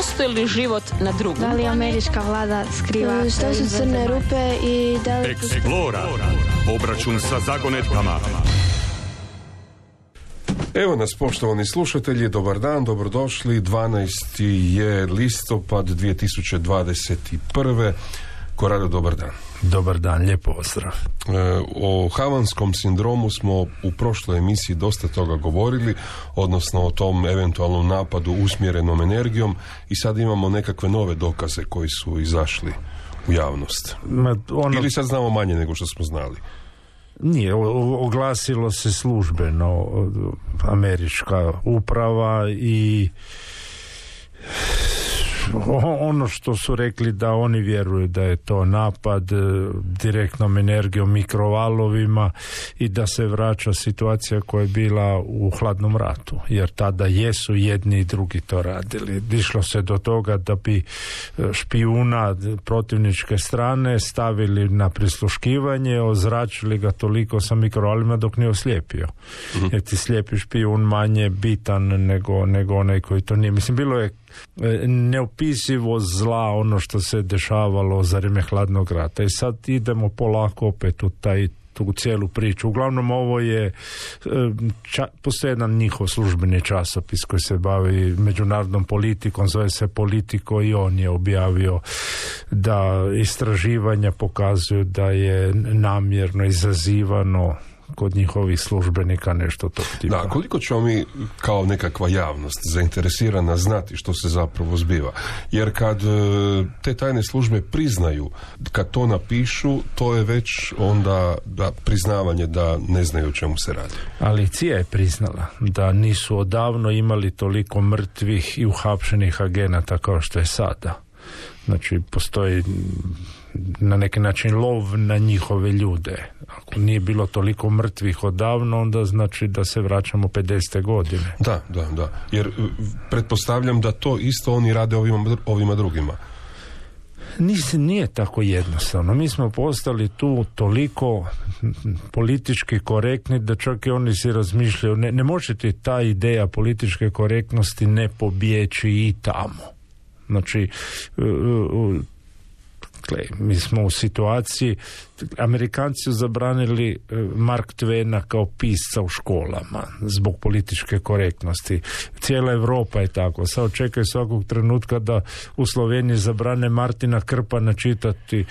postoji li život na drugom? Da li američka vlada skriva? Što su crne rupe i da li... Explora. Obračun sa zagonetkama. Evo nas, poštovani slušatelji, dobar dan, dobrodošli. 12. je listopad 2021. Korado, dobar dan. Dobar dan, lijepo pozdrav. O havanskom sindromu smo u prošloj emisiji dosta toga govorili, odnosno o tom eventualnom napadu usmjerenom energijom, i sad imamo nekakve nove dokaze koji su izašli u javnost. Ili sad znamo manje nego što smo znali? Nije, oglasilo se službeno američka uprava i ono što su rekli da oni vjeruju da je to napad direktnom energijom, mikrovalovima, i da se vraća situacija koja je bila u hladnom ratu, jer tada jesu jedni i drugi to radili. Išlo se do toga da bi špijuna protivničke strane stavili na prisluškivanje, ozračili ga toliko sa mikrovalima dok nije oslijepio. Jer ti slijepi špijun manje bitan nego onaj koji to nije. Mislim, bilo je neopisivo zla ono što se dešavalo za vrijeme hladnog rata, i sad idemo polako opet u tu cijelu priču. Uglavnom ovo je postoji jedan njihov službeni časopis koji se bavi međunarodnom politikom, zove se Politico, i on je objavio da istraživanja pokazuju da je namjerno izazivano kod njihovih službenika nešto tog tipa. Da, koliko ćemo mi kao nekakva javnost zainteresirana znati što se zapravo zbiva? Jer kad te tajne službe priznaju, kad to napišu, to je već onda priznavanje da ne znaju o čemu se radi. Ali CIA je priznala da nisu odavno imali toliko mrtvih i uhapšenih agenata kao što je sada. Znači, postoji na neki način lov na njihove ljude. Ako nije bilo toliko mrtvih odavno, onda znači da se vraćamo 50. godine. Da. Jer pretpostavljam da to isto oni rade ovima drugima. Nije tako jednostavno. Mi smo postali tu toliko politički korektni da čak i oni si razmišljaju, ne može ti ta ideja političke korektnosti ne pobjeći i tamo. Znači, mi smo u situaciji, Amerikanci su zabranili Mark Twaina kao pisca u školama zbog političke korektnosti. Cijela Europa je tako. Sad čekaju svakog trenutka da u Sloveniji zabrane Martina Krpana čitati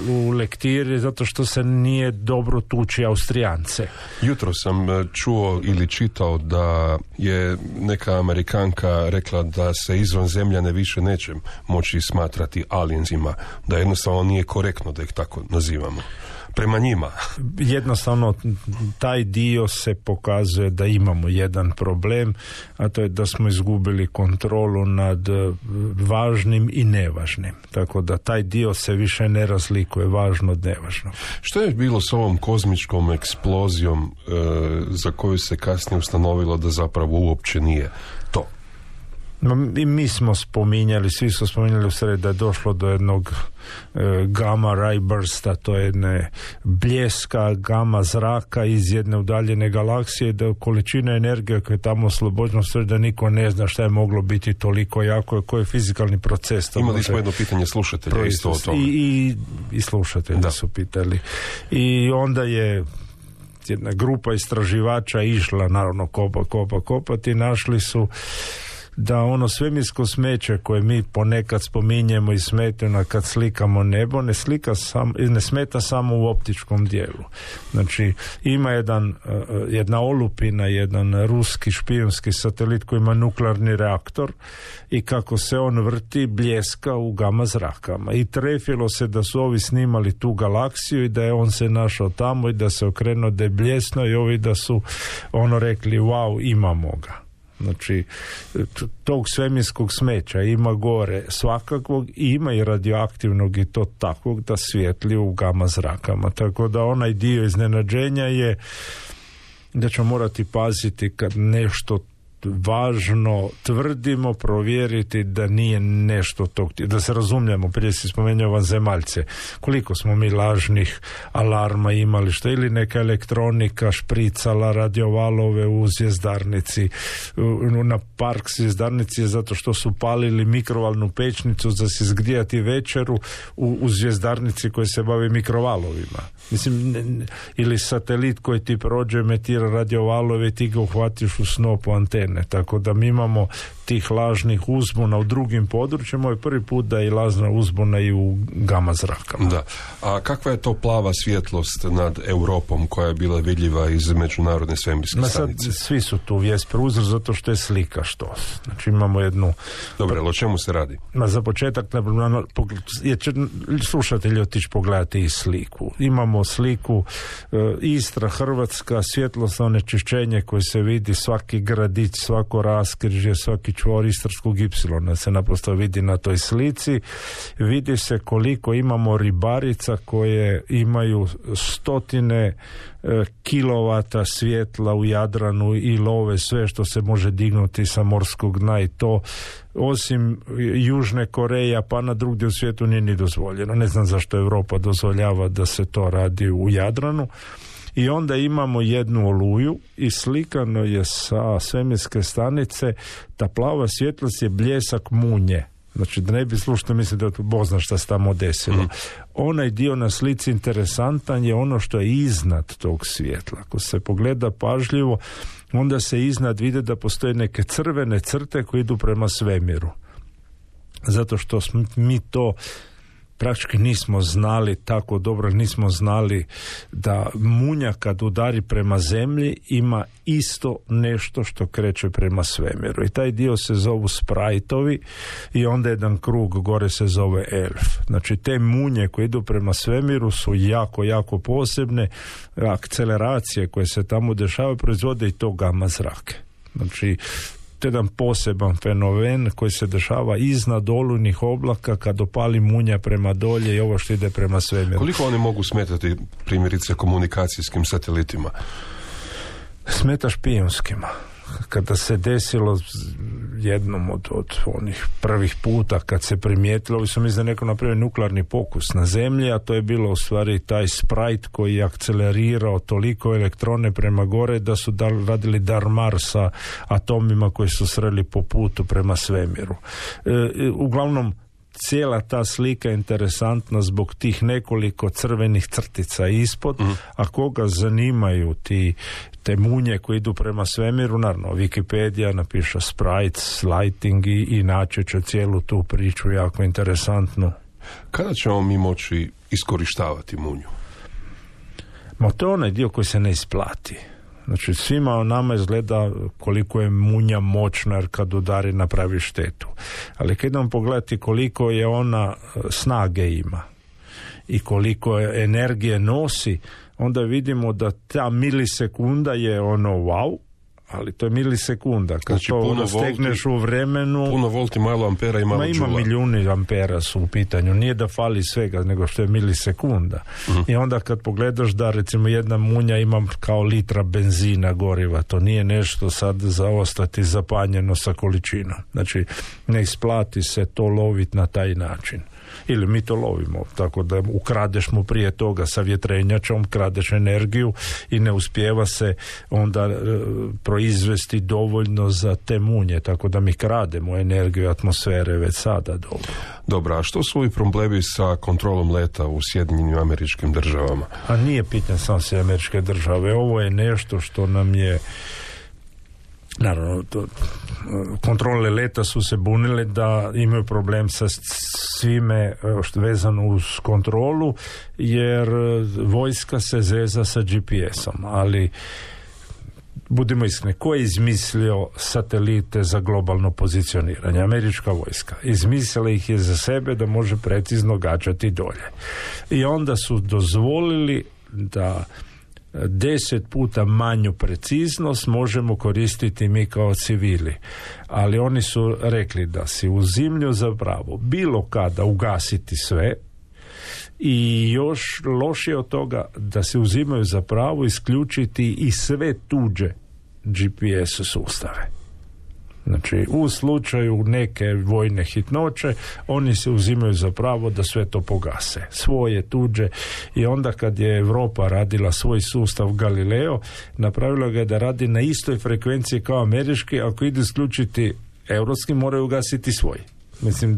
u lektiri zato što se nije dobro tuči Austrijance. Jutro sam čuo ili čitao da je neka Amerikanka rekla da se izvanzemljane više neće moći smatrati aliensima, da jednostavno nije korektno da ih tako nazivamo prema njima. Jednostavno taj dio se pokazuje da imamo jedan problem, a to je da smo izgubili kontrolu nad važnim i nevažnim. Tako da taj dio se više ne razlikuje, važno od nevažnog. Što je bilo s ovom kozmičkom eksplozijom za koju se kasnije ustanovilo da zapravo uopće nije to? I mi smo spominjali, svi su spominjali u sred da je došlo do jednog gamma ray bursta, to je jedne bljeska gama zraka iz jedne udaljene galaksije, da količina energije koja je tamo oslobođena, sve da niko ne zna šta je moglo biti toliko jako, koji je fizikalni proces. Imali smo jedno pitanje slušatelja isto o tome. I slušatelji su pitali. I onda je jedna grupa istraživača išla, naravno, kopati, našli su da ono svemirsko smeće koje mi ponekad spominjemo i smetaju kad slikamo nebo, ne smeta samo u optičkom dijelu. Znači, ima jedna olupina, jedan ruski špijunski satelit koji ima nuklearni reaktor, i kako se on vrti, bljeska u gama zrakama. I trefilo se da su ovi snimali tu galaksiju i da je on se našao tamo i da se okrenuo da je bljesno, i ovi da su rekli wow, imamo ga. Znači, tog svemirskog smeća ima gore svakakvog, i ima i radioaktivnog, i to takvog da svijetli u gama zrakama. Tako da onaj dio iznenađenja je da ćemo morati paziti kad nešto važno, tvrdimo, provjeriti da nije nešto tog, da se razumijemo, prije si spomenuo vanzemaljce, koliko smo mi lažnih alarma imali, što ili neka elektronika špricala radiovalove u zvjezdarnici, na park zvjezdarnici je zato što su palili mikrovalnu pećnicu za se zgrijati večeru u zvjezdarnici koji se bavi mikrovalovima. Mislim, ili satelit koji ti prođe, emitira radiovalove i ti ga uhvatiš u snopu antene. Tako da mi imamo tih lažnih uzbuna u drugim područjima. Ovo je prvi put da je lažna uzbuna i u gama zrakama. Da. A kakva je to plava svjetlost nad Europom koja je bila vidljiva iz međunarodne svemirske stanice? Svi su tu vijest preuzeli zato što je slika što. Znači imamo jednu... Dobro, o čemu se radi? Za početak slušatelji otići pogledati i sliku. Imamo sliku Istra, Hrvatska, svjetlosno onečišćenje koje se vidi, svaki gradić, svako raskrižje, svaki čvor istarskog ipsilona se naprosto vidi na toj slici. Vidi se koliko imamo ribarica koje imaju stotine kilovata svjetla u Jadranu i love sve što se može dignuti sa morskog dna, i to osim Južne Koreje pa na drugdje u svijetu nije ni dozvoljeno. Ne znam zašto Europa dozvoljava da se to radi u Jadranu. I onda imamo jednu oluju i slikano je sa svemirske stanice, ta plava svjetlost je bljesak munje. Znači da ne bi slušno mislili da Bog zna šta se tamo desilo. Onaj dio na slici interesantan je ono što je iznad tog svjetla. Ako se pogleda pažljivo, onda se iznad vide da postoje neke crvene crte koje idu prema svemiru. Zato što mi to praktički nismo znali tako dobro, nismo znali da munja kad udari prema zemlji ima isto nešto što kreće prema svemiru. I taj dio se zovu sprajtovi i onda jedan krug gore se zove elf. Znači te munje koje idu prema svemiru su jako, jako posebne. Akceleracije koje se tamo dešavaju proizvode i to gama zrake. Znači to je jedan poseban fenomen koji se dešava iznad olujnih oblaka kad opali munja prema dolje i ovo što ide prema svemiru. Koliko oni mogu smetati primjerice komunikacijskim satelitima? Smeta špijunskima. Kada se desilo jednom od onih prvih puta kad se primijetilo, ovi su mislim da neko napravio nuklearni pokus na zemlji, a to je bilo u stvari taj sprite koji je akcelerirao toliko elektrone prema gore da su radili darmar sa atomima koji su sreli po putu prema svemiru. Uglavnom cijela ta slika je interesantna zbog tih nekoliko crvenih crtica ispod, a koga zanimaju te munje koje idu prema svemiru, naravno Wikipedia napiše sprites, lighting i naći će cijelu tu priču jako interesantnu. Kada ćemo mi moći iskorištavati munju? Ma to je onaj dio koji se ne isplati. Znači svima nama izgleda koliko je munja moćna jer kad udari napravi štetu. Ali kad idemo pogledati koliko je ona snage ima i koliko je energije nosi, onda vidimo da ta milisekunda je ono wow, ali to je milisekunda. Kad znači, to stegneš u vremenu... Puno volti, malo ampera i malo džula. Ima milijuni ampera su u pitanju. Nije da fali svega, nego što je milisekunda. I onda kad pogledaš da recimo jedna munja ima kao litra benzina goriva, to nije nešto sad za ostati zapanjeno sa količinom. Znači, ne isplati se to loviti na taj način. Ili mi to lovimo, tako da ukradeš mu prije toga sa vjetrenjačom, kradeš energiju i ne uspijeva se onda proizvesti dovoljno za te munje, tako da mi krademo energiju atmosfere već sada dobro. Dobro, a što su ovi problemi sa kontrolom leta u Sjedinjenim Američkim Državama? A nije pitanje samo Sjedinjene Američke Države, ovo je nešto što nam je naravno, kontrole leta su se bunile da imaju problem sa svime što vezano uz kontrolu, jer vojska se zeza sa GPS-om, ali budimo iskreni, ko je izmislio satelite za globalno pozicioniranje? Američka vojska. Izmislila ih je za sebe da može precizno gađati dolje. I onda su dozvolili da 10 puta manju preciznost možemo koristiti mi kao civili. Ali oni su rekli da si uzimlju za pravo bilo kada ugasiti sve i još lošije od toga da se uzimaju za pravo isključiti i sve tuđe GPS sustave. Znači, u slučaju neke vojne hitnoće, oni se uzimaju za pravo da sve to pogase. Svoje, tuđe. I onda kad je Europa radila svoj sustav Galileo, napravila ga je da radi na istoj frekvenciji kao američki, ako ide isključiti europski, moraju ugasiti svoj. Mislim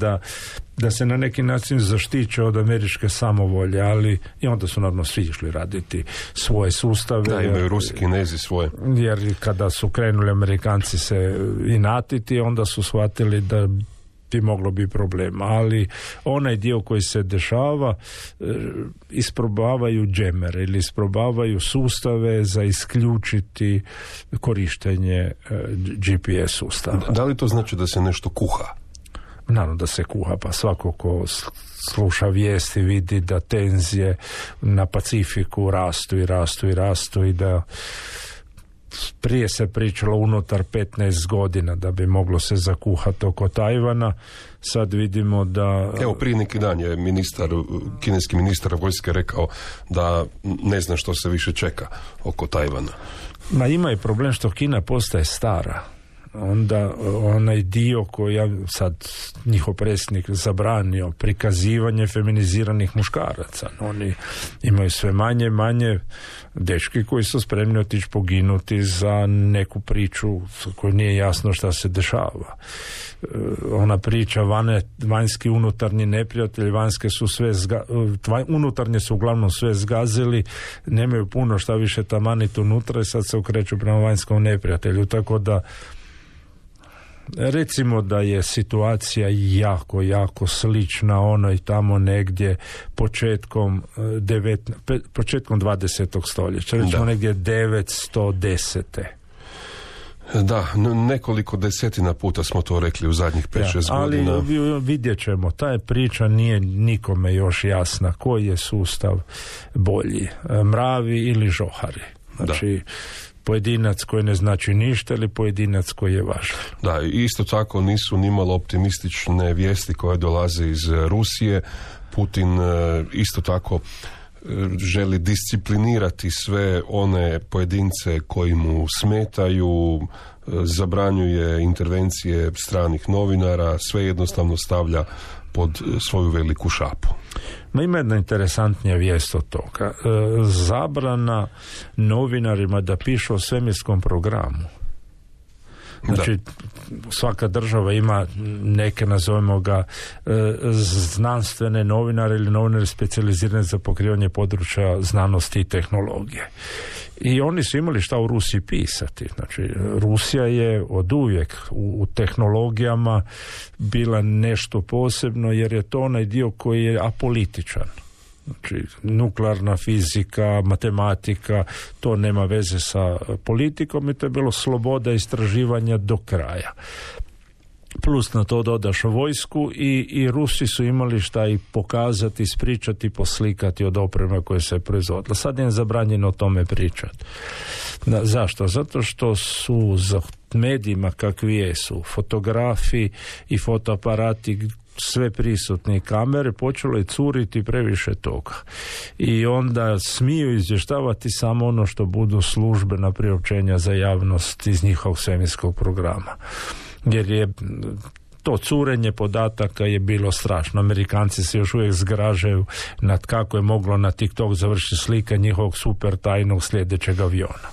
da se na neki način zaštiće od američke samovolje, ali i onda su naravno svi išli raditi svoje sustave. Da, imaju Rusi, Kinezi svoje. Jer kada su krenuli Amerikanci se inatiti, onda su shvatili da bi moglo biti problema. Ali onaj dio koji se dešava, isprobavaju džemere ili isprobavaju sustave za isključiti korištenje GPS sustava. Da li to znači da se nešto kuha? Naravno da se kuha, pa svako ko sluša vijesti vidi da tenzije na Pacifiku rastu i da prije se pričalo unutar 15 godina da bi moglo se zakuhati oko Tajvana. Sad vidimo da... Evo, prije neki dan je kineski ministar vojske rekao da ne zna što se više čeka oko Tajvana. Ma ima i problem što Kina postaje stara. Onda onaj dio koji ja sad njihov predsjednik zabranio prikazivanje feminiziranih muškaraca. Oni imaju sve manje dečki koji su spremni otići poginuti za neku priču koju nije jasno šta se dešava. Ona priča vanjski unutarnji neprijatelji, vanjske su sve unutarnje su uglavnom sve zgazili, nemaju puno šta više tamaniti unutra i sad se okreću prema vanjskom neprijatelju, tako da recimo da je situacija jako slična onoj tamo negdje početkom 20. stoljeća, recimo negdje 910. Da, nekoliko desetina puta smo to rekli u zadnjih 5-6 godina. Ali vidjet ćemo, ta priča nije nikome još jasna koji je sustav bolji, mravi ili žohari. Znači, pojedinac koji ne znači ništa ili pojedinac koji je važan. Da, isto tako nisu nimalo optimistične vijesti koje dolaze iz Rusije. Putin isto tako želi disciplinirati sve one pojedince koji mu smetaju, zabranjuje intervencije stranih novinara, sve jednostavno stavlja pod svoju veliku šapu. Ma ima jedna interesantnija vijest od toga. Zabrana novinarima da pišu o svemirskom programu. Znači, svaka država ima neke, nazovemo ga, znanstvene novinare ili novinare specijalizirane za pokrivanje područja znanosti i tehnologije. I oni su imali šta u Rusiji pisati. Znači, Rusija je oduvijek u tehnologijama bila nešto posebno, jer je to onaj dio koji je apolitičan. Znači, nuklearna fizika, matematika, to nema veze sa politikom i to je bilo sloboda istraživanja do kraja. Plus na to dodaš vojsku i Rusi su imali šta i pokazati, ispričati, poslikati od opreme koje se proizvodila. Sad je zabranjeno o tome pričati. Zašto? Zato što su za medijima kakvi jesu, fotografi i fotoaparati, sve prisutne kamere, počelo je curiti previše toga. I onda smiju izvještavati samo ono što budu službena priopćenja za javnost iz njihovog svemirskog programa. Jer je to curenje podataka je bilo strašno. Amerikanci se još uvijek zgražaju nad kako je moglo na TikTok završiti slika njihovog super tajnog sljedećeg aviona.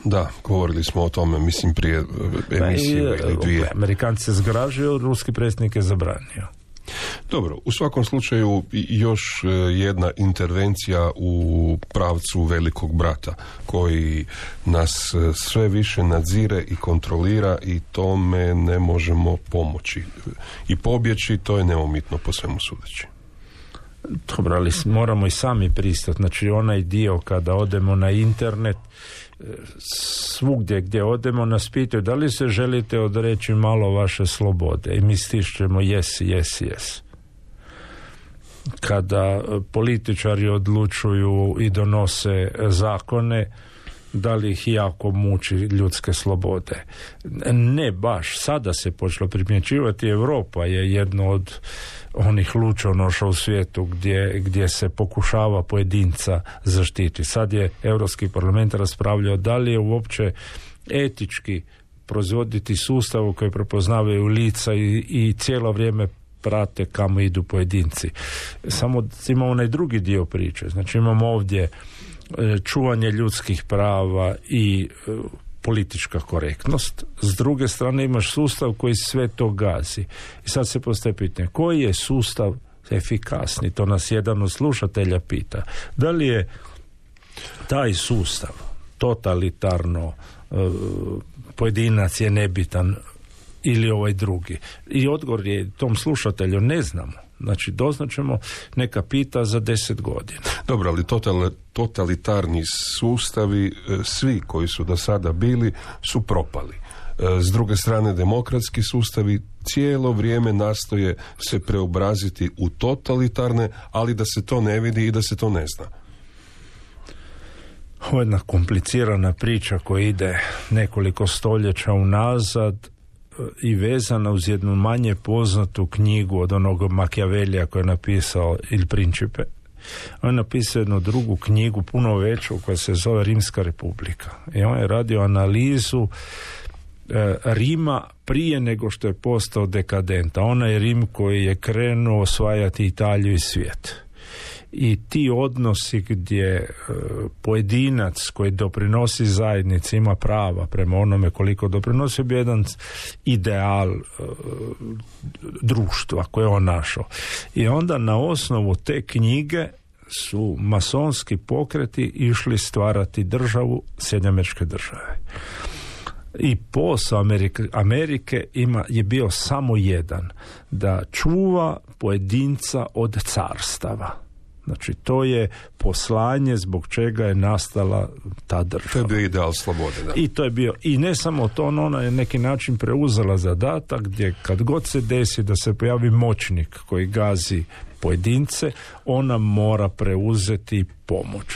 Da, govorili smo o tome, mislim, prije emisije ili dvije. Amerikanci se zgražaju, ruski predsjednik je zabranio. Dobro, u svakom slučaju još jedna intervencija u pravcu velikog brata koji nas sve više nadzire i kontrolira i tome ne možemo pomoći. I pobjeći, to je neumitno po svemu sudeći. Dobro, ali moramo i sami pristati. Znači, onaj dio kada odemo na internet, svugdje gdje odemo nas pitaju da li se želite odreći malo vaše slobode i mi stišćemo yes. Kada političari odlučuju i donose zakone, da li ih jako muči ljudske slobode? Ne baš, sada se počelo primjećivati. Europa je jedno od onih lučonoša u svijetu gdje se pokušava pojedinca zaštiti. Sad je Europski parlament raspravljao da li je uopće etički proizvoditi sustav koji prepoznavaju lica i cijelo vrijeme prate kamo idu pojedinci. Samo imamo onaj drugi dio priče. Znači imamo ovdje čuvanje ljudskih prava i politička korektnost. S druge strane imaš sustav koji sve to gazi. I sad se postaje pitanje, koji je sustav efikasni? To nas jedan od slušatelja pita. Da li je taj sustav totalitarno, pojedinac je nebitan, ili ovaj drugi? I odgovor je tom slušatelju ne znamo. Znači, doznaćemo, neka pita za 10 godina. Dobro, ali totalitarni sustavi, svi koji su do sada bili, su propali. S druge strane, demokratski sustavi cijelo vrijeme nastoje se preobraziti u totalitarne, ali da se to ne vidi i da se to ne zna. Ovo je jedna komplicirana priča koja ide nekoliko stoljeća unazad i vezana uz jednu manje poznatu knjigu od onog Machiavellija koji je napisao Il Principe. On je napisao jednu drugu knjigu, puno veću, koja se zove Rimska republika. I on je radio analizu Rima prije nego što je postao dekadenta. Onaj Rim koji je krenuo osvajati Italiju i svijet. I ti odnosi gdje pojedinac koji doprinosi zajednici ima prava prema onome koliko doprinosi, bi jedan ideal društva koje je on našao. I onda na osnovu te knjige su masonski pokreti išli stvarati državu, Sjedinjene Američke Države. I posao Amerike je bio samo jedan, da čuva pojedinca od carstava. Znači, to je poslanje zbog čega je nastala ta država. To je bio ideal slobode, da. I to je bio, i ne samo to, ona je neki način preuzela zadatak gdje kad god se desi da se pojavi moćnik koji gazi pojedince, ona mora preuzeti pomoć.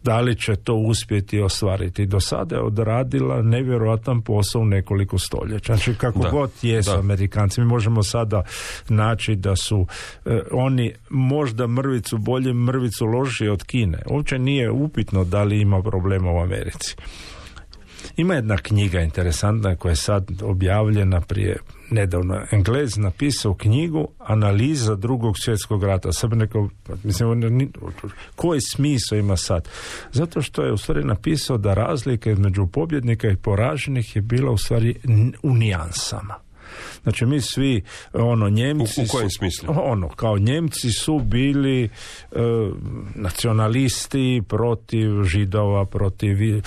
Da li će to uspjeti ostvariti? Do sada je odradila nevjerojatan posao u nekoliko stoljeća. Znači, kako god jesu Amerikanci, mi možemo sada naći da su oni možda mrvicu bolje, mrvicu lošije od Kine. Uopće nije upitno da li ima problema u Americi. Ima jedna knjiga interesantna koja je sad objavljena prije nedavno. Englez napisao knjigu Analiza Drugog svjetskog rata. Sad bi nekao, mislim, koji smisao ima sad? Zato što je u stvari napisao da razlika između pobjednika i poraženih je bila u stvari u nijansama. Znači, mi svi, Njemci... U kojem smislu? Kao Njemci su bili nacionalisti protiv Židova, protiv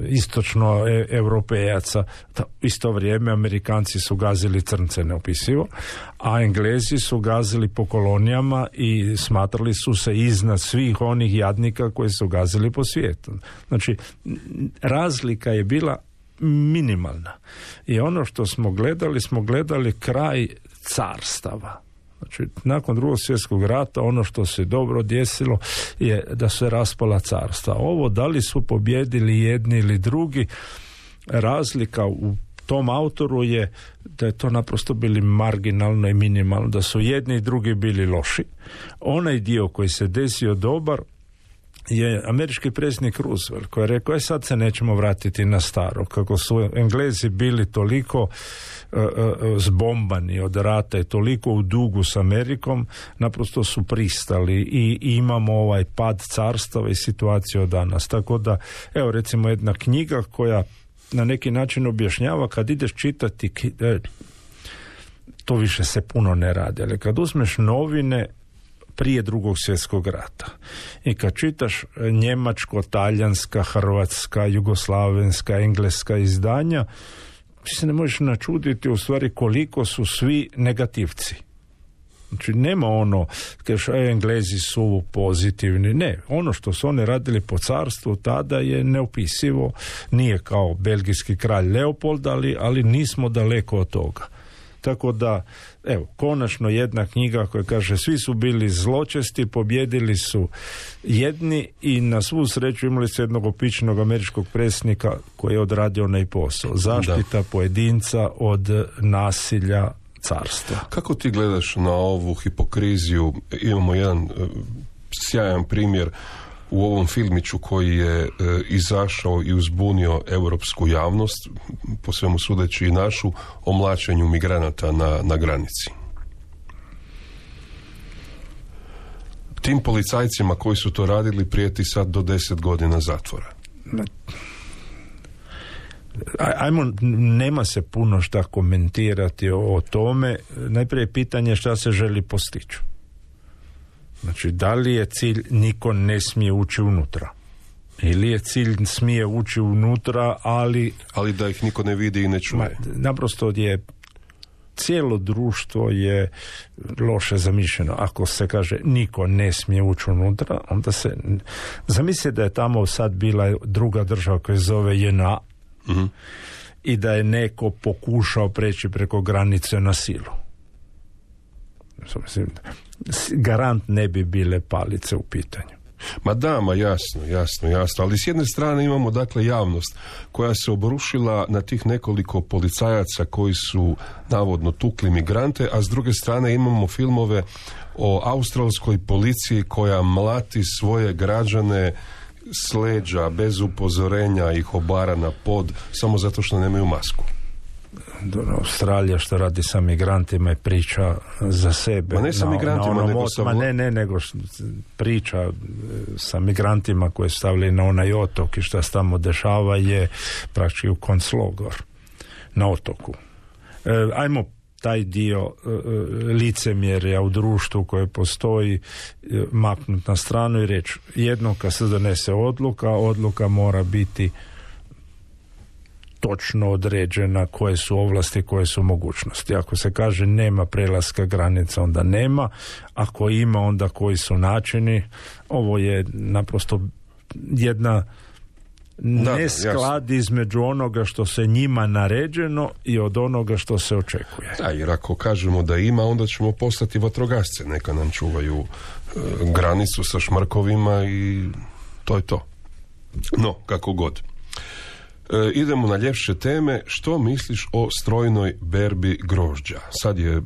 istočno europejaca. Isto vrijeme Amerikanci su gazili crnce neopisivo, a Englezi su gazili po kolonijama i smatrali su se iznad svih onih jadnika koji su gazili po svijetu. Znači, razlika je bila minimalna. I ono što smo gledali kraj carstava. Znači, nakon Drugog svjetskog rata ono što se dobro desilo je da se raspala carstva. Ovo, da li su pobjedili jedni ili drugi, razlika u tom autoru je da je to naprosto bili marginalno i minimalno, da su jedni i drugi bili loši. Onaj dio koji se desio dobar je američki predsjednik Roosevelt koji je rekao, sad se nećemo vratiti na staro. Kako su Englezi bili toliko zbombani od rata i toliko u dugu s Amerikom, naprosto su pristali i imamo ovaj pad carstava i situaciju danas. Tako da, evo recimo jedna knjiga koja na neki način objašnjava, kad ideš čitati, to više se puno ne radi, ali kad uzmeš novine prije Drugog svjetskog rata i kad čitaš njemačko, talijanska, hrvatska, jugoslavenska, engleska izdanja, ti se ne možeš načuditi u stvari koliko su svi negativci. Znači, nema kažeš, Englezi su pozitivni. Ne, ono što su oni radili po carstvu tada je neopisivo. Nije kao belgijski kralj Leopold, ali nismo daleko od toga. Tako da, evo, konačno jedna knjiga koja kaže svi su bili zločesti, pobjedili su jedni i na svu sreću imali su jednog opičnog američkog predsjednika koji je odradio onaj posao. Zaštita pojedinca od nasilja carstva. Kako ti gledaš na ovu hipokriziju? Imamo jedan sjajan primjer u ovom filmiću koji je izašao i uzbunio europsku javnost, po svemu sudeći i našu, o mlaćenju migranata na granici. Tim policajcima koji su to radili prijeti sad do 10 godina zatvora. Nema se puno šta komentirati o tome. Najprije pitanje šta se želi postići. Znači, da li je cilj niko ne smije ući unutra? Ili je cilj smije ući unutra, ali da ih niko ne vidi i ne čuje? Naprosto je cijelo društvo je loše zamišljeno. Ako se kaže niko ne smije ući unutra, onda se zamisli da je tamo sad bila druga država koja se zove JNA, mm-hmm, i da je neko pokušao preći preko granice na silu. Garant ne bi bile palice u pitanju. Jasno, ali s jedne strane imamo dakle javnost koja se obrušila na tih nekoliko policajaca koji su navodno tukli migrante, a s druge strane imamo filmove o australskoj policiji koja mlati svoje građane s leđa, bez upozorenja, ih obara na pod, samo zato što nemaju masku. Australija što radi sa migrantima je priča za sebe. Ma ne sa migrantima, nego priča sa migrantima koje stavili na onaj otok i što se tamo dešava je praktički u konclogor na otoku. Ajmo taj dio licemjerja u društvu koje postoji maknuti na stranu i reći jednom kad se donese odluka mora biti točno određena koje su ovlasti, koje su mogućnosti. Ako se kaže nema prelaska granica, onda nema. Ako ima, onda koji su načini. Ovo je naprosto jedna nesklad između onoga što se njima naređeno i od onoga što se očekuje. Da, jer ako kažemo da ima, onda ćemo postati vatrogasce. Neka nam čuvaju granicu sa šmrkovima i to je to. No, kako god. Idemo na ljepše teme. Što misliš o strojnoj berbi grožđa? Sad je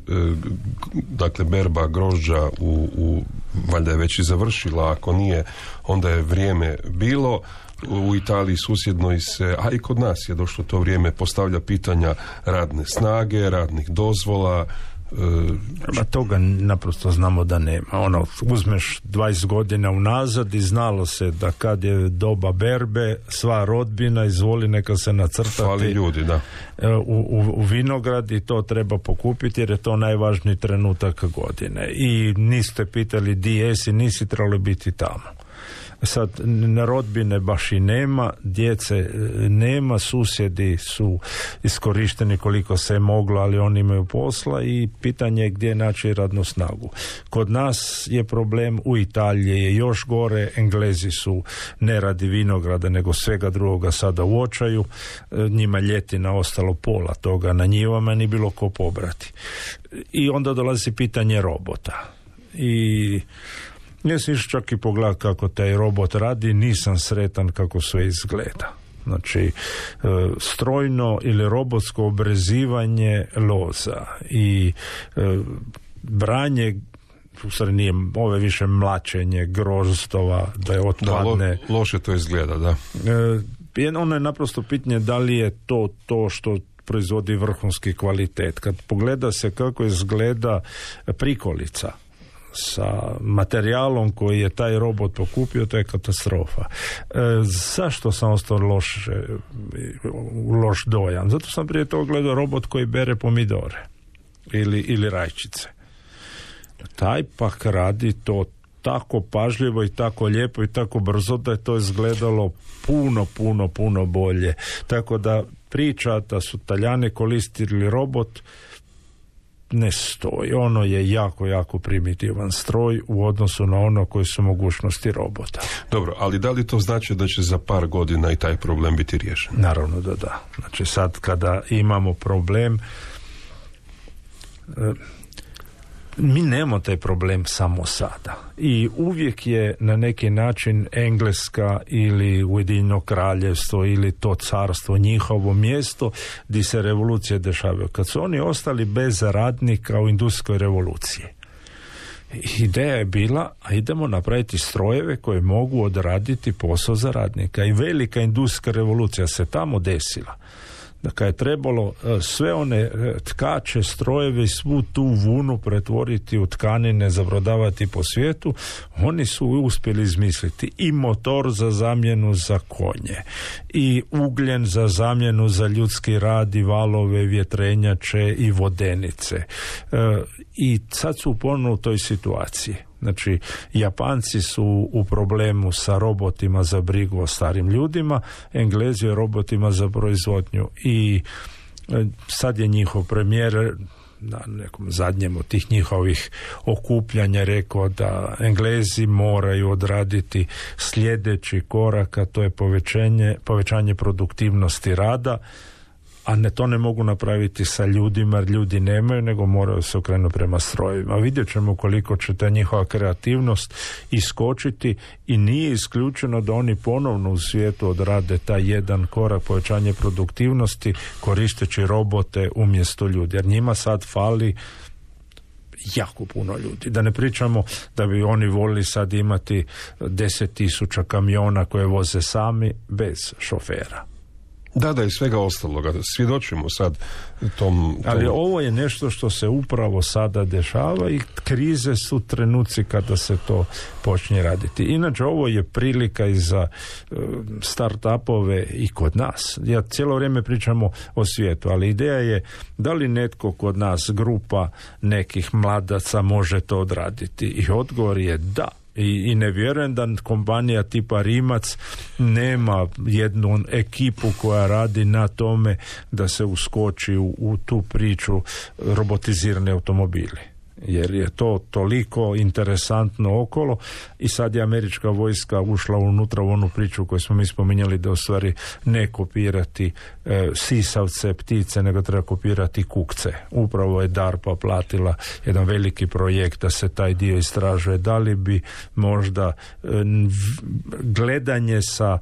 dakle berba grožđa valjda je već i završila, ako nije onda je vrijeme bilo. U Italiji susjednoj se, a i kod nas je došlo to vrijeme, postavlja pitanja radne snage, radnih dozvola. Toga naprosto znamo da nema. Uzmeš 20 godina unazad i znalo se da kad je doba berbe, sva rodbina izvoli neka se nacrtati. Fali ljudi, da. U vinograd i to treba pokupiti jer je to najvažniji trenutak godine. I niste pitali di jesi, nisi trebali biti tamo. Sad, rodbine baš i nema, djece nema, susjedi su iskorišteni koliko se je moglo, ali oni imaju posla i pitanje je gdje naći radnu snagu. Kod nas je problem, u Italiji je još gore, Englezi su ne radi vinograda nego svega drugoga sada u očaju, njima ljetina ostalo pola toga na njivama, ni bilo ko pobrati. I onda dolazi pitanje robota. I ja sam išao čak i pogledati kako taj robot radi, nisam sretan kako sve izgleda. Znači, strojno ili robotsko obrezivanje loza i branje, u stvari nije, ove više mlačenje grozdova, da je otpadne. Da, loše to izgleda, da. Ono je naprosto pitanje da li je to što proizvodi vrhunski kvalitet. Kad pogleda se kako izgleda prikolica sa materijalom koji je taj robot pokupio, to je katastrofa. Zašto sam ostao loš dojam? Zato sam prije toga gledao robot koji bere pomidore ili rajčice. Taj pak radi to tako pažljivo i tako lijepo i tako brzo da je to izgledalo puno bolje. Tako da priča da su Talijani koristili robot ne stoji. Ono je jako primitivan stroj u odnosu na ono koji su mogućnosti robota. Dobro, ali da li to znači da će za par godina i taj problem biti riješen? Naravno da da. Znači sad kada imamo problem, mi nemamo taj problem samo sada. I uvijek je na neki način Engleska ili Ujedinjeno kraljevstvo ili to carstvo njihovo mjesto gdje se revolucije dešavaju. Kad su oni ostali bez radnika u industrijskoj revoluciji, Ideja je bila, a idemo napraviti strojeve koje mogu odraditi posao za radnika. I velika industrijska revolucija se tamo desila. Dakle, je trebalo sve one tkače, strojeve i svu tu vunu pretvoriti u tkanine, zabrodavati po svijetu. Oni su uspjeli izmisliti i motor za zamjenu za konje, i ugljen za zamjenu za ljudski rad, i valove, vjetrenjače i vodenice. I sad su ponovno u toj situaciji. Znači, Japanci su u problemu sa robotima za brigu o starim ljudima, Englezi robotima za proizvodnju, i sad je njihov premijer na nekom zadnjem od tih njihovih okupljanja rekao da Englezi moraju odraditi sljedeći korak, a to je povećanje produktivnosti rada, a to ne mogu napraviti sa ljudima, jer ljudi nemaju, nego moraju se okrenuti prema strojevima. Vidjet ćemo koliko će ta njihova kreativnost iskočiti, i nije isključeno da oni ponovno u svijetu odrade taj jedan korak povećanje produktivnosti koristeći robote umjesto ljudi, jer njima sad fali jako puno ljudi. Da ne pričamo da bi oni volili sad imati 10.000 kamiona koje voze sami bez šofera. Da, i svega ostaloga. Svjedočimo sad tom... Ali ovo je nešto što se upravo sada dešava, i krize su trenuci kada se to počne raditi. Inače, ovo je prilika i za start-upove i kod nas. Ja cijelo vrijeme pričamo o svijetu, ali ideja je da li netko kod nas, grupa nekih mladaca, može to odraditi. I odgovor je da. I ne vjerujem da kompanija tipa Rimac nema jednu ekipu koja radi na tome da se uskoči u tu priču robotizirane automobili. Jer je to toliko interesantno okolo, i sad je američka vojska ušla unutra u onu priču koju smo mi spominjali, da u stvari ne kopirati sisavce, ptice, nego treba kopirati kukce. Upravo je DARPA platila jedan veliki projekt da se taj dio istražuje. Da li bi možda gledanje sa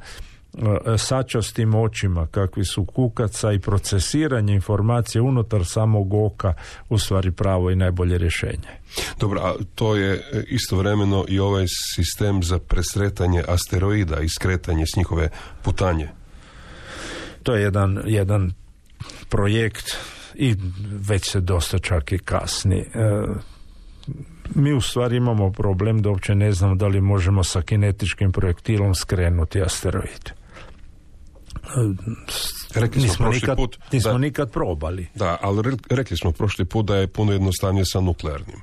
sačastim očima kakvi su kukaca i procesiranje informacije unutar samog oka u stvari pravo i najbolje rješenje. Dobro, a to je istovremeno i ovaj sistem za presretanje asteroida i skretanje s njihove putanje. To je jedan projekt, i već se dosta čak i kasni. Mi u stvari imamo problem da uopće ne znamo da li možemo sa kinetičkim projektilom skrenuti asteroid. Nismo nikad probali. Da, ali rekli smo prošli put da je puno jednostavnije sa nuklearnim.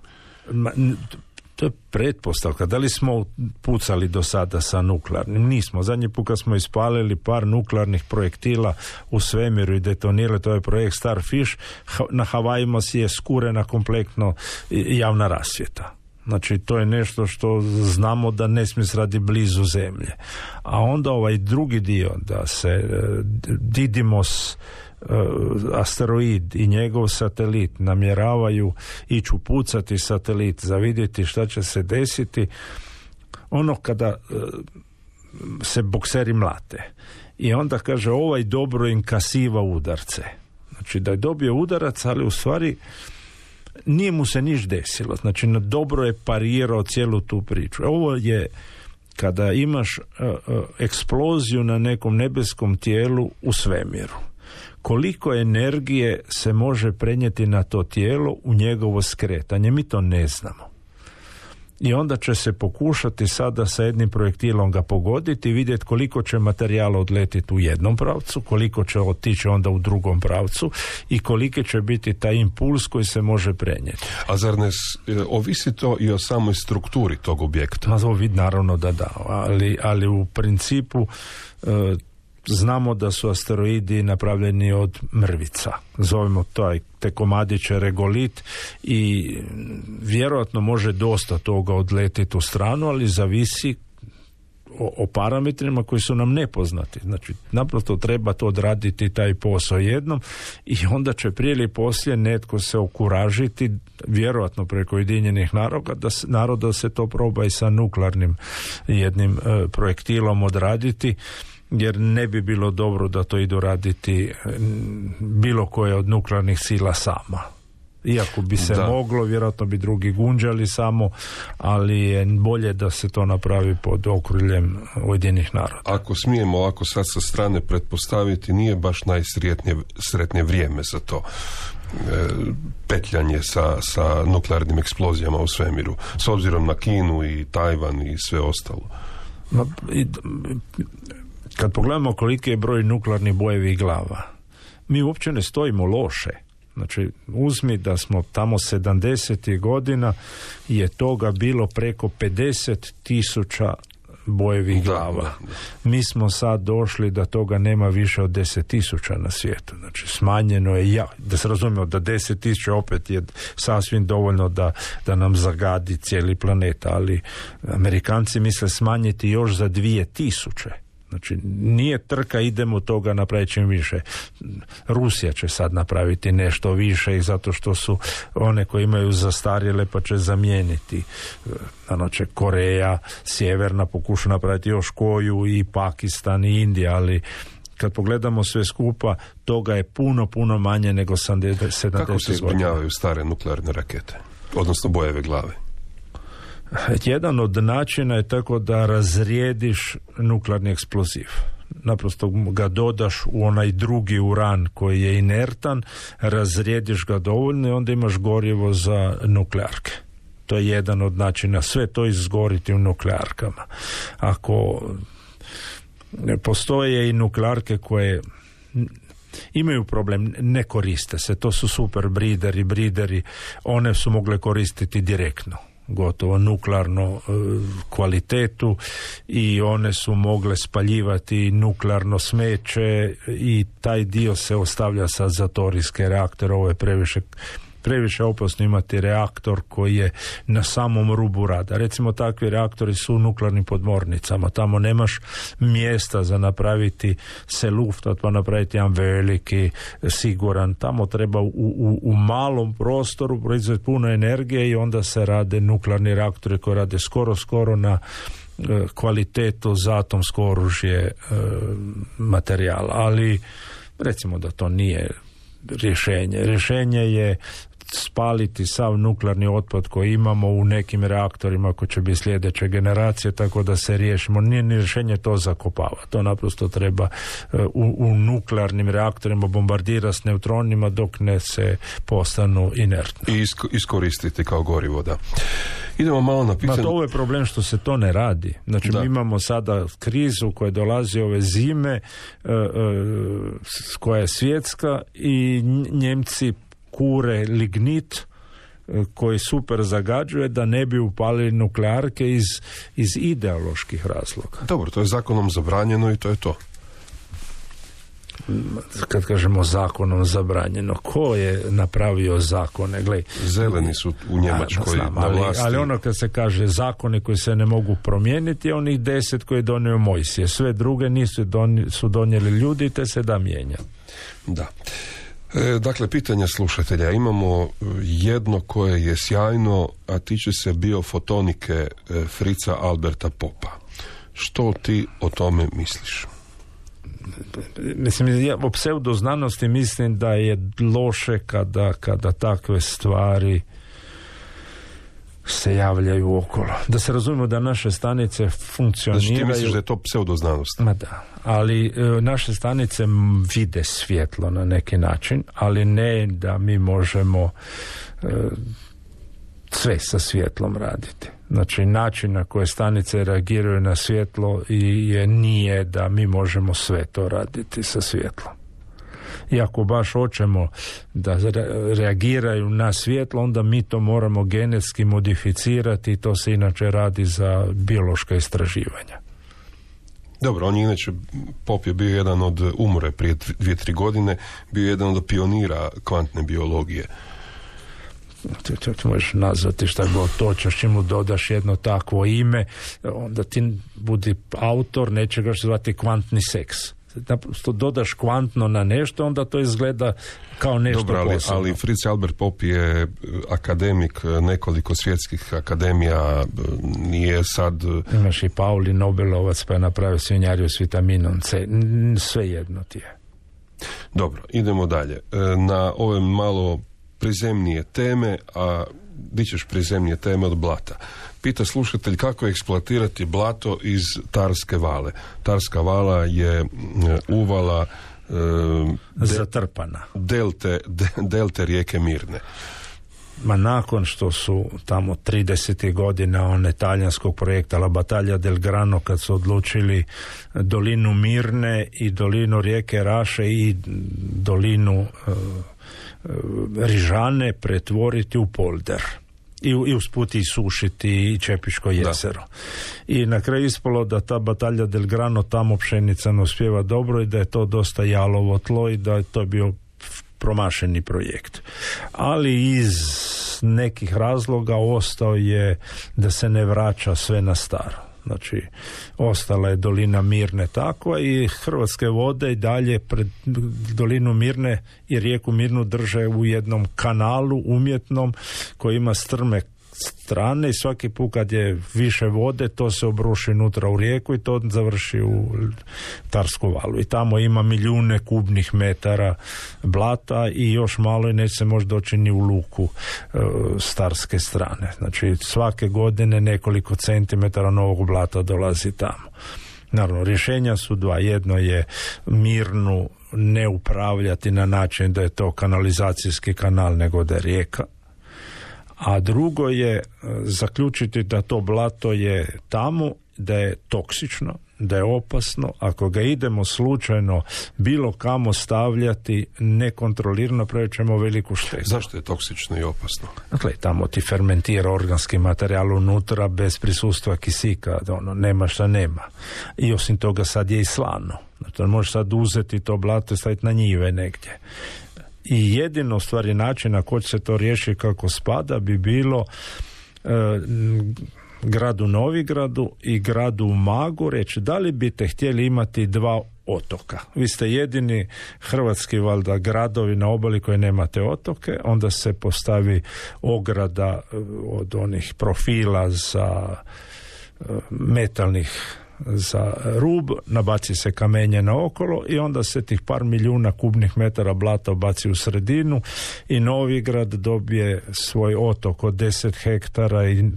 To je pretpostavka. Da li smo pucali do sada sa nuklearnim? Nismo. Zadnji put kad smo ispalili par nuklearnih projektila u svemiru i detonirali, to je projekt Starfish, na Havajima si je skurena kompletno javna rasvjeta. Znači, to je nešto što znamo da ne smije se radi blizu zemlje. A onda ovaj drugi dio, da se Didymos asteroid i njegov satelit namjeravaju ići upucati satelit za vidjeti šta će se desiti, ono kada se bokseri mlate. I onda kaže, ovaj dobro inkasiva udarce. Znači, da je dobio udarac, ali u stvari nije mu se niš desilo. Znači, dobro je parirao cijelu tu priču. Ovo je kada imaš eksploziju na nekom nebeskom tijelu u svemiru. Koliko energije se može prenijeti na to tijelo u njegovo skretanje? Mi to ne znamo. I onda će se pokušati sada sa jednim projektilom ga pogoditi i vidjeti koliko će materijala odletiti u jednom pravcu, koliko će otići onda u drugom pravcu i koliki će biti taj impuls koji se može prenijeti. A zar ne ovisi to i o samoj strukturi tog objekta? Naravno da, ali u principu znamo da su asteroidi napravljeni od mrvica. Zovemo te komadiće regolit i vjerojatno može dosta toga odletiti u stranu, ali zavisi o parametrima koji su nam nepoznati. Znači, naprosto treba to odraditi taj posao jednom i onda će prije ili poslije netko se okuražiti, vjerojatno preko Ujedinjenih naroda da se to proba i sa nuklearnim jednim projektilom odraditi, jer ne bi bilo dobro da to idu raditi bilo koje od nuklearnih sila sama. Iako bi se moglo, vjerojatno bi drugi gunđali samo, ali je bolje da se to napravi pod okriljem Ujedinjenih naroda. Ako smijemo ovako sad sa strane pretpostaviti, nije baš najsretnije vrijeme za to. Petljanje sa nuklearnim eksplozijama u svemiru, s obzirom na Kinu i Tajvan i sve ostalo. Kad pogledamo koliki je broj nuklearnih bojevih glava, mi uopće ne stojimo loše. Znači, uzmi da smo tamo 70. godina je toga bilo preko 50,000 bojevih glava. Mi smo sad došli da toga nema više od 10,000 na svijetu. Znači, smanjeno je, da se razumijemo, da 10,000 opet je sasvim dovoljno da nam zagadi cijeli planet, ali Amerikanci misle smanjiti još za 2,000. Znači, nije trka, idemo toga napraviti čim više. Rusija će sad napraviti nešto više i zato što su one koje imaju zastarjele pa će zamijeniti. Znači, Koreja, Sjeverna pokuša napraviti još koju, i Pakistan i Indija, ali kad pogledamo sve skupa, toga je puno manje nego 70. Kako se zbrinjavaju stare nuklearne rakete? Odnosno bojeve glave? Jedan od načina je tako da razrijediš nuklearni eksploziv. Naprosto ga dodaš u onaj drugi uran koji je inertan, razrijediš ga dovoljno i onda imaš gorivo za nuklearke. To je jedan od načina. Sve to izgoriti u nuklearkama. Ako postoje i nuklearke koje imaju problem, ne koriste se. To su super brideri, one su mogle koristiti direktno, gotovo nuklearno kvalitetu, i one su mogle spaljivati nuklearno smeće i taj dio se ostavlja sad za torijske reaktore. Ovo je previše opasno imati reaktor koji je na samom rubu rada. Recimo, takvi reaktori su u nuklearnim podmornicama. Tamo nemaš mjesta za napraviti se luftat, pa napraviti jedan veliki, siguran. Tamo treba u malom prostoru proizvesti puno energije i onda se rade nuklearni reaktori koji rade skoro na kvalitetu za atomsko oružje materijala. Ali recimo da to nije rješenje. Rješenje je spaliti sav nuklearni otpad koji imamo u nekim reaktorima koji će biti sljedeće generacije, tako da se riješimo. Nije ni rješenje to zakopava. To naprosto treba u nuklearnim reaktorima bombardirati s neutronima dok ne se postanu inertni. I iskoristiti kao gorivo, da. Idemo malo na pitanje. To je problem što se to ne radi. Znači, mi imamo sada krizu koja dolazi ove zime, koja je svjetska, i Njemci kure lignit koji super zagađuje da ne bi upalili nuklearke iz ideoloških razloga. Dobro, to je zakonom zabranjeno i to je to. Kad kažemo zakonom zabranjeno, ko je napravio zakone? Glej, zeleni su u Njemačkoj na vlasti. Ali ono kad se kaže zakone koji se ne mogu promijeniti, je onih 10 koje je donio Mojsije. Sve druge su donijeli ljudi, te se da mijenja. Da. Dakle, pitanja slušatelja. Imamo jedno koje je sjajno, a tiče se biofotonike Fritza Alberta Popa. Što ti o tome misliš? Mislim, ja o pseudoznanosti mislim da je loše kada takve stvari se javljaju okolo. Da se razumijemo da naše stanice funkcioniraju... Znači ti misliš da je to pseudoznanost? Ma da, ali naše stanice vide svjetlo na neki način, ali ne da mi možemo sve sa svjetlom raditi. Znači, način na koje stanice reagiraju na svjetlo nije da mi možemo sve to raditi sa svjetlom. I ako baš hoćemo da reagiraju na svjetlo, onda mi to moramo genetski modificirati, i to se inače radi za biološka istraživanja. Dobro, on je inače, Pop je bio jedan od, umre prije 2-3 godine, bio jedan od pionira kvantne biologije. To možeš nazvati šta god hoćeš, čim mu dodaš jedno takvo ime, onda ti budi autor nečega što zvati kvantni seks. Naprosto dodaš kvantno na nešto, onda to izgleda kao nešto posebno. Ali Fritz Albert Pop je akademik nekoliko svjetskih akademija, nije sad... Imaš i Pauli Nobelovac, pa je napravio svinjariju s vitaminom C. Sve jedno ti je. Dobro, idemo dalje. Na ove malo prizemnije teme, a di ćeš prizemnije teme od blata. Pita slušatelj kako eksploatirati blato iz Tarske vale. Tarska vala je uvala zatrpana. Delte rijeke Mirne. Ma nakon što su tamo 30. godina one talijanskog projekta La Battaglia del Grano, kad su odlučili dolinu Mirne i dolinu rijeke Raše i dolinu Rižane pretvoriti u polder. I usput isušiti i Čepiško jezero. Da. I na kraju ispalo da ta Battaglia del Grano tamo pšenica ne uspijeva dobro i da je to dosta jalovo tlo i da je to bio promašeni projekt. Ali iz nekih razloga ostao je da se ne vraća sve na staro. Znači, ostala je dolina Mirne takva i Hrvatske vode i dalje pred dolinu Mirne i rijeku Mirnu drže u jednom kanalu umjetnom koji ima strme strane i svaki put kad je više vode to se obruši unutra u rijeku i to završi u Tarsku valu. I tamo ima milijune kubnih metara blata i još malo i neće se možda doći ni u luku s Tarske strane. Znači svake godine nekoliko centimetara novog blata dolazi tamo. Naravno, rješenja su dva. Jedno je Mirnu ne upravljati na način da je to kanalizacijski kanal nego da je rijeka. A drugo je zaključiti da to blato je tamo, da je toksično, da je opasno. Ako ga idemo slučajno bilo kamo stavljati nekontrolirano, pravit ćemo veliku štetu. Zašto je toksično i opasno? Dakle, tamo ti fermentira organski materijal unutra bez prisustva kisika, nema šta nema. I osim toga sad je i slano. Znači, možeš sad uzeti to blato i staviti na njive negdje. I jedino stvari način na koji se to riješi kako spada bi bilo gradu Novigradu i gradu Umagu reći da li biste htjeli imati dva otoka. Vi ste jedini hrvatski valjda gradovi na obali koji nemate otoke, onda se postavi ograda od onih profila za metalnih za rub, nabaci se kamenje naokolo i onda se tih par milijuna kubnih metara blata baci u sredinu i Novigrad dobije svoj otok od 10 hektara i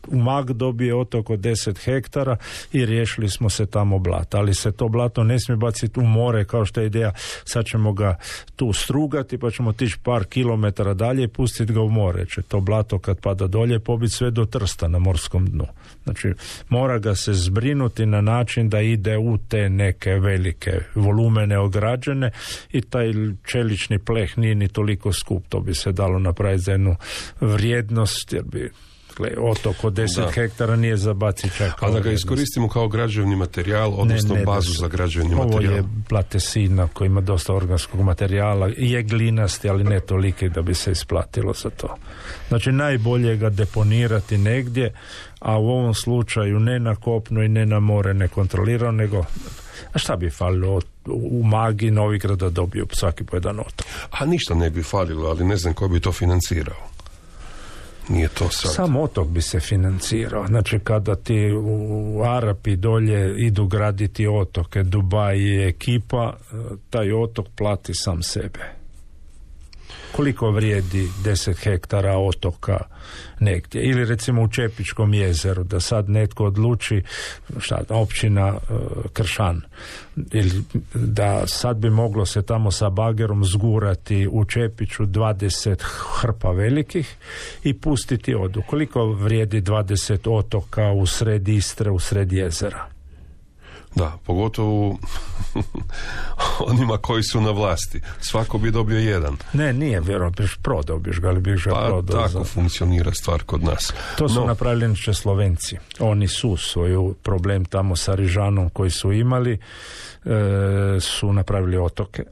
Umag dobije otok od 10 hektara i riješili smo se tamo blata. Ali se to blato ne smije baciti u more kao što je ideja, sad ćemo ga tu strugati pa ćemo tići par kilometara dalje i pustiti ga u more. Će to blato kad pada dolje pobiti sve do Trsta na morskom dnu. Znači mora ga se zbrinuti na način da ide u te neke velike volumene ograđene i taj čelični pleh nije ni toliko skup. To bi se dalo napraviti za jednu vrijednost jer bi otok od 10 hektara nije za baciti čak. A da ga iskoristimo kao građevni materijal, odnosno bazu za građevni materijal. Ovo je blatesina koji ima dosta organskog materijala, je glinasti, ali ne toliki da bi se isplatilo za to. Znači najbolje ga deponirati negdje, a u ovom slučaju ne na kopnu i ne na more nekontrolirano, nego a šta bi falilo u Magi Novigrada dobio svaki po jedan otok? A ništa ne bi falilo, ali ne znam ko bi to financirao. Nije to sad. Sam otok bi se financirao. Znači kada ti u Arapi dolje idu graditi otoke, Dubaj i ekipa, taj otok plati sam sebe. Koliko vrijedi 10 hektara otoka negdje? Ili recimo u Čepičkom jezeru, da sad netko odluči, općina Kršan, ili da sad bi moglo se tamo sa bagerom zgurati u Čepiću 20 hrpa velikih i pustiti odu. Koliko vrijedi 20 otoka u sred Istre, u sred jezera? Da, pogotovo onima koji su na vlasti. Svako bi dobio jedan. Ne, nije vjerojatno, prodao biš ga, ali biš ga prodao. Tako funkcionira stvar kod nas. To su napravili Slovenci. Oni su svoj problem tamo sa Rižanom koji su imali, su napravili otoke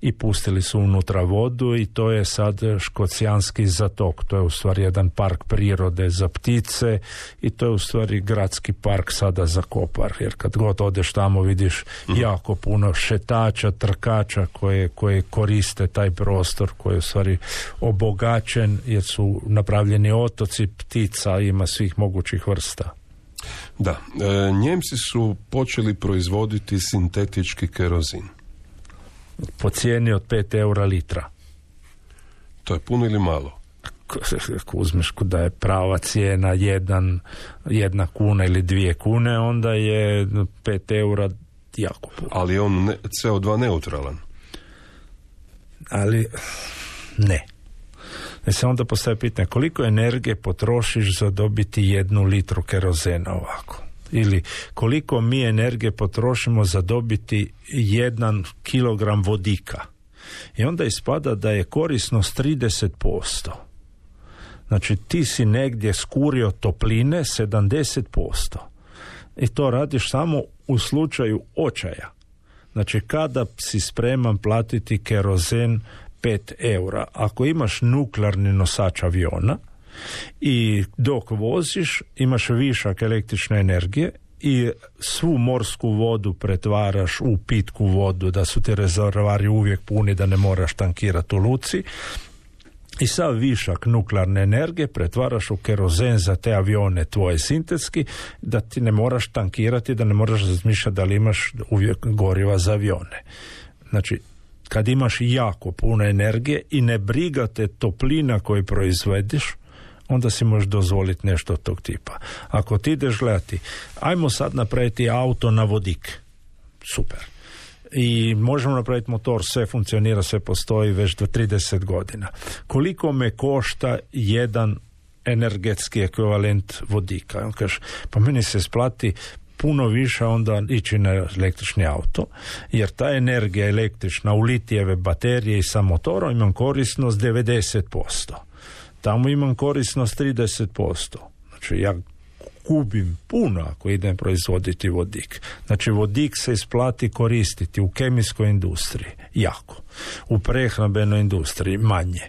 i pustili su unutra vodu i to je sad Škocijanski zatok. To je u stvari jedan park prirode za ptice i to je u stvari gradski park sada za Kopar. Jer kad god odeš tamo vidiš jako puno šetača, trkača koje koriste taj prostor koji je u stvari obogaćen jer su napravljeni otoci ptica, ima svih mogućih vrsta. Da, Njemci su počeli proizvoditi sintetički kerozin. Po cijeni od 5 eura litra. To je puno ili malo? Ako uzmeš da je prava cijena 1 kuna ili 2 kune, onda je 5 eura jako puno. Ali je on CO2 neutralan? Ali ne. Se onda postaje pitanje koliko energije potrošiš za dobiti 1 litru kerozena ovako. Ili koliko mi energije potrošimo za dobiti 1 kilogram vodika. I onda ispada da je korisnost 30%. Znači ti si negdje skurio topline 70%. I to radiš samo u slučaju očaja. Znači kada si spreman platiti kerozen 5 eura. Ako imaš nuklearni nosač aviona i dok voziš imaš višak električne energije i svu morsku vodu pretvaraš u pitku vodu, da su ti rezervoari uvijek puni, da ne moraš tankirati u luci, i sav višak nuklearne energije pretvaraš u kerozen za te avione tvoje sintetski, da ti ne moraš tankirati, da ne moraš razmišljati da li imaš uvijek goriva za avione. Znači, kad imaš jako puno energije i ne brigate toplina koju proizvediš, onda si možeš dozvoliti nešto od tog tipa. Ako ti ideš gledati, ajmo sad napraviti auto na vodik. Super. I možemo napraviti motor, sve funkcionira, sve postoji već do 30 godina. Koliko me košta jedan energetski ekvivalent vodika? On kaže, pa meni se isplati puno više onda ići na električni auto, jer ta energija električna u litijeve baterije i sa motorom imam korisnost 90%. Tamo imam korisnost 30%. Znači ja gubim puno ako idem proizvoditi vodik. Znači vodik se isplati koristiti u kemijskoj industriji jako, u prehrambenoj industriji manje.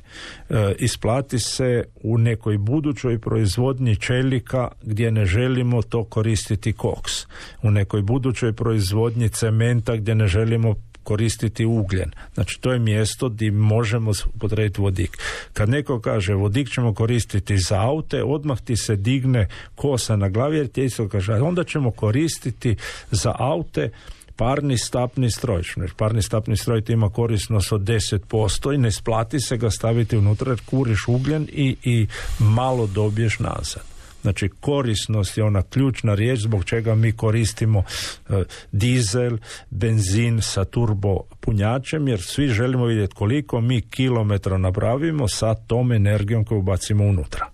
Isplati se u nekoj budućoj proizvodnji čelika gdje ne želimo to koristiti koks. U nekoj budućoj proizvodnji cementa gdje ne želimo koristiti ugljen. Znači to je mjesto gdje možemo upotrijebiti vodik. Kad neko kaže vodik ćemo koristiti za aute, odmah ti se digne kosa na glavi, jer ti isto kaže onda ćemo koristiti za aute parni stapni stroj. Parni stapni stroj ti ima korisnost od 10% i ne splati se ga staviti unutra jer kuriš ugljen i malo dobiješ nazad. Znači korisnost je ona ključna riječ zbog čega mi koristimo dizel, benzin sa turbo punjačem, jer svi želimo vidjeti koliko mi kilometra napravimo sa tom energijom koju bacimo unutra.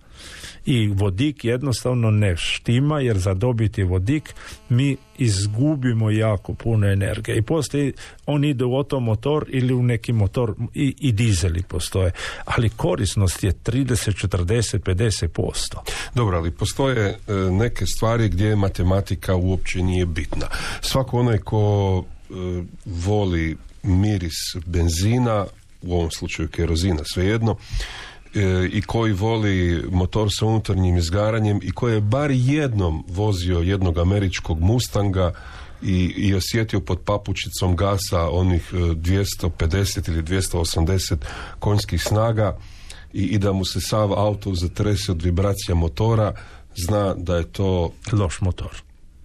I vodik jednostavno ne štima, jer za dobiti vodik mi izgubimo jako puno energije. I postoji, on ide u automotor ili u neki motor, i dizeli postoje, ali korisnost je 30, 40, 50%. Dobro, ali postoje neke stvari gdje matematika uopće nije bitna. Svako onaj ko voli miris benzina, u ovom slučaju kerozina, svejedno, i koji voli motor sa unutarnjim izgaranjem i koji je bar jednom vozio jednog američkog Mustanga i osjetio pod papučicom gasa onih 250 ili 280 konjskih snaga i da mu se sav auto zatrese od vibracija motora, zna da je to loš motor.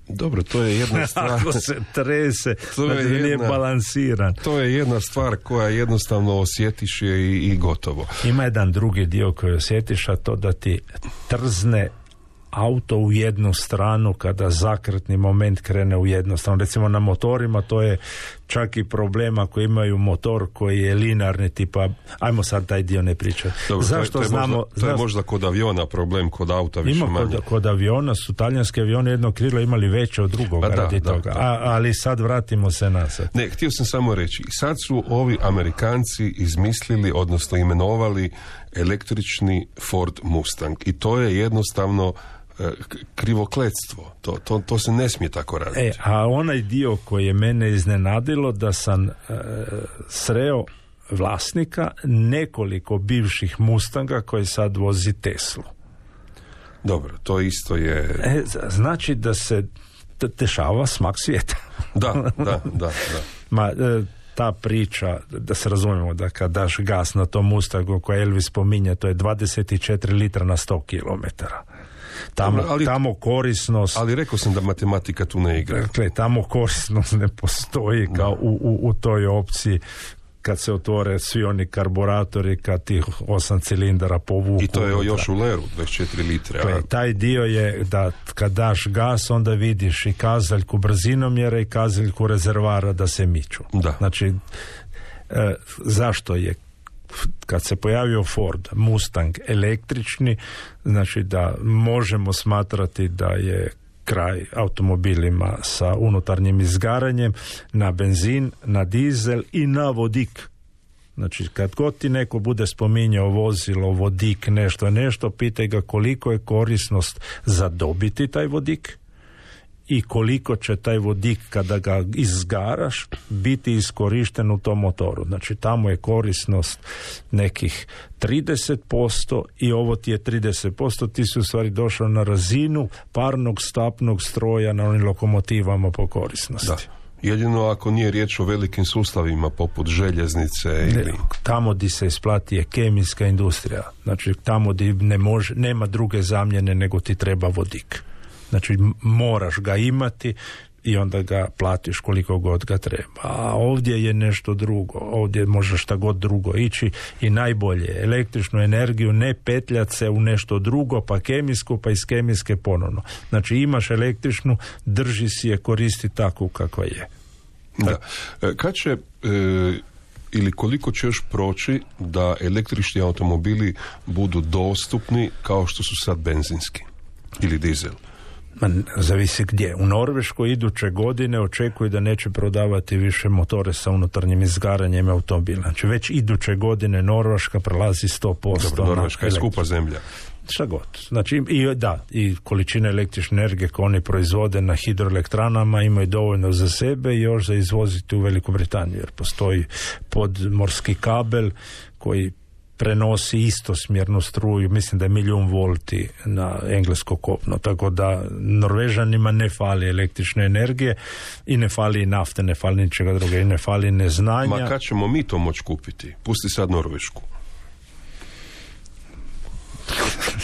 Dobro, to je jedna stvar. Ako se trese, znači nije balansiran. To je jedna stvar koja jednostavno osjetiš je i gotovo. Ima jedan drugi dio koji osjetiš, a to da ti trzne auto u jednu stranu kada zakretni moment krene u jednu stranu. Recimo na motorima to je čak i problem ako imaju motor koji je linearni, tipa, ajmo sad taj dio ne pričati. Zašto znamo? To je možda kod aviona problem, kod auta više manje. Kod aviona su talijanske avione jedno krilo imali veće od drugog radi toga. Ali sad vratimo se nazad. Ne, htio sam samo reći, sad su ovi Amerikanci izmislili, odnosno imenovali električni Ford Mustang i to je jednostavno krivokletstvo. To se ne smije tako raditi. A onaj dio koji je mene iznenadilo, da sam sreo vlasnika nekoliko bivših Mustanga koji sad vozi Teslu. Dobro, to isto je... Znači da se dešava smak svijeta. Da. Ta priča, da se razumijemo, da kad daš gas na tom Mustangu koji Elvis spominje, to je 24 litra na 100 kilometara. Tamo korisnost... Ali rekao sam da matematika tu ne igra. Dakle, tamo korisnost ne postoji kao u toj opciji kad se otvore svi oni karburatori, kad tih 8 cilindara povuku. I to je još u leru, 24 litre. Taj dio je da kad daš gas, onda vidiš i kazaljku brzinomjera i kazaljku rezervara da se miču. Da. Znači, zašto je kad se pojavio Ford Mustang električni, znači da možemo smatrati da je kraj automobilima sa unutarnjim izgaranjem na benzin, na dizel i na vodik. Znači, kad god ti neko bude spominjao vozilo, vodik, nešto, pitaj ga koliko je korisnost za dobiti taj vodik i koliko će taj vodik kada ga izgaraš biti iskorišten u tom motoru. Znači, tamo je korisnost nekih 30% i ovo ti je 30%, ti si u stvari došao na razinu parnog stapnog stroja na onim lokomotivama po korisnosti. Da. Jedino ako nije riječ o velikim sustavima poput željeznice ili... Tamo di se isplati je kemijska industrija. Znači, tamo di nema druge zamjene nego ti treba vodik. Znači, moraš ga imati i onda ga platiš koliko god ga treba. A ovdje je nešto drugo. Ovdje može šta god drugo ići i najbolje električnu energiju ne petljati se u nešto drugo, pa kemijsku, pa iz kemijske ponovno. Znači, imaš električnu, drži si je, koristi takvu kakva je. Da. Kad će ili koliko će još proći da električni automobili budu dostupni kao što su sad benzinski ili dizel? Zavisi gdje. U Norveškoj iduće godine očekuje da neće prodavati više motore sa unutarnjim izgaranjem automobila. Znači već iduće godine Norveška prelazi 100%. Dobro, Norveška je skupa zemlja. Šta god. Znači, i količine električne energije koje oni proizvode na hidroelektranama imaju dovoljno za sebe i još za izvoziti u Veliku Britaniju, jer postoji podmorski kabel koji prenosi istosmjernu struju, mislim da je 1.000.000 volti na englesko kopno, tako da Norvežanima ne fali električne energije i ne fali nafte, ne fali ničega druga i ne fali neznanja. Ma kad ćemo mi to moći kupiti? Pusti sad Norvešku.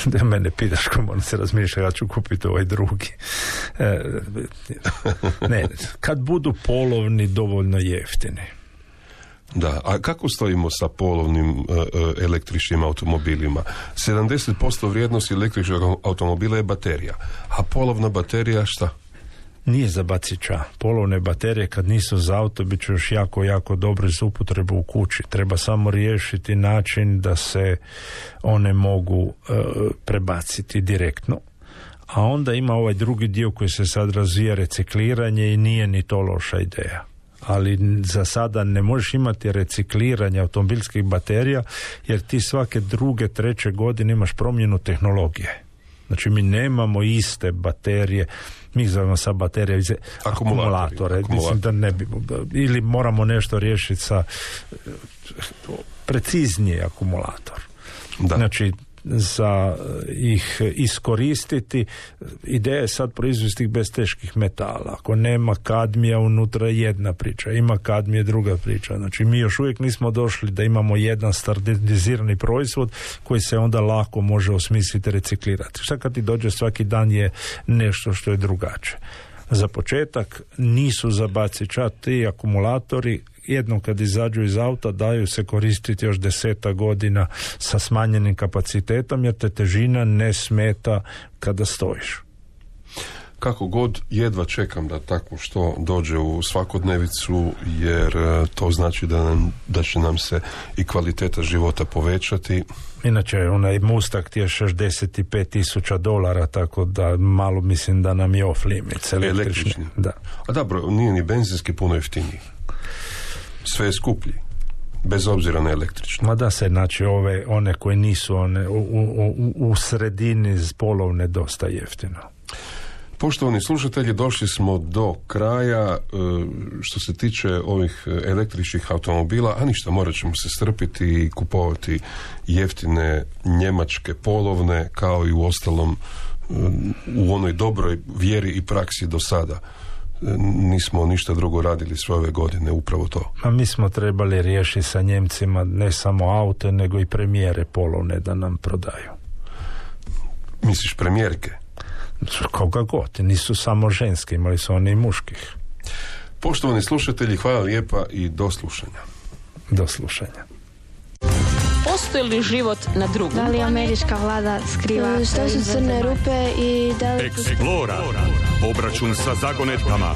Da mene pitaš ko moram se razmišljati, ja ću kupiti ovaj drugi. Ne, kad budu polovni dovoljno jeftini. Da, a kako stojimo sa polovnim električnim automobilima? 70% vrijednosti električnog automobila je baterija, a polovna baterija šta? Nije za bacića. Polovne baterije kad nisu za auto bit će još jako dobro za upotrebu u kući. Treba samo riješiti način da se one mogu prebaciti direktno. A onda ima ovaj drugi dio koji se sad razvija, recikliranje, i nije ni to loša ideja. Ali za sada ne možeš imati recikliranje automobilskih baterija jer ti svake 2., 3. godine imaš promjenu tehnologije. Znači mi nemamo iste baterije, mi zovemo sa baterije akumulatore. Mislim da ne bi, ili moramo nešto riješiti sa preciznije akumulator. Da. Znači za ih iskoristiti, ideja je sad proizvesti ih bez teških metala. Ako nema kadmija unutra, jedna priča, ima kadmije, druga priča. Znači mi još uvijek nismo došli da imamo jedan standardizirani proizvod koji se onda lako može osmisliti, reciklirati. Šta kad ti dođe svaki dan je nešto što je drugačije. Za početak nisu za bacića ti akumulatori, jednom kad izađu iz auta daju se koristiti još 10 godina sa smanjenim kapacitetom jer te težina ne smeta kada stojiš. Kako god, jedva čekam da tako što dođe u svakodnevicu jer to znači da će nam se i kvaliteta života povećati. Inače, onaj Mustang ti je $65,000, tako da malo mislim da nam je off limits. Električni. Da. A dobro, nije ni benzinski puno jeftiniji. Sve je skuplji, bez obzira na električno. Ma da se, znači one koje nisu u sredini polovne dosta jeftino. Poštovani slušatelji, došli smo do kraja što se tiče ovih električnih automobila, a ništa, morat ćemo se strpiti i kupovati jeftine njemačke polovne, kao i u ostalom u onoj dobroj vjeri i praksi do sada. Nismo ništa drugo radili sve ove godine, upravo to. A mi smo trebali riješiti sa Njemcima ne samo aute, nego i premijere polovne da nam prodaju. Misliš premijerke? Koga god, nisu samo ženske, imali su oni i muških. Poštovani slušatelji, hvala lijepa i do slušanja. Do slušanja. Postoji li život na drugom? Da li američka vlada skriva? Što su crne rupe i da li... Explora. Obračun sa zagonetkama.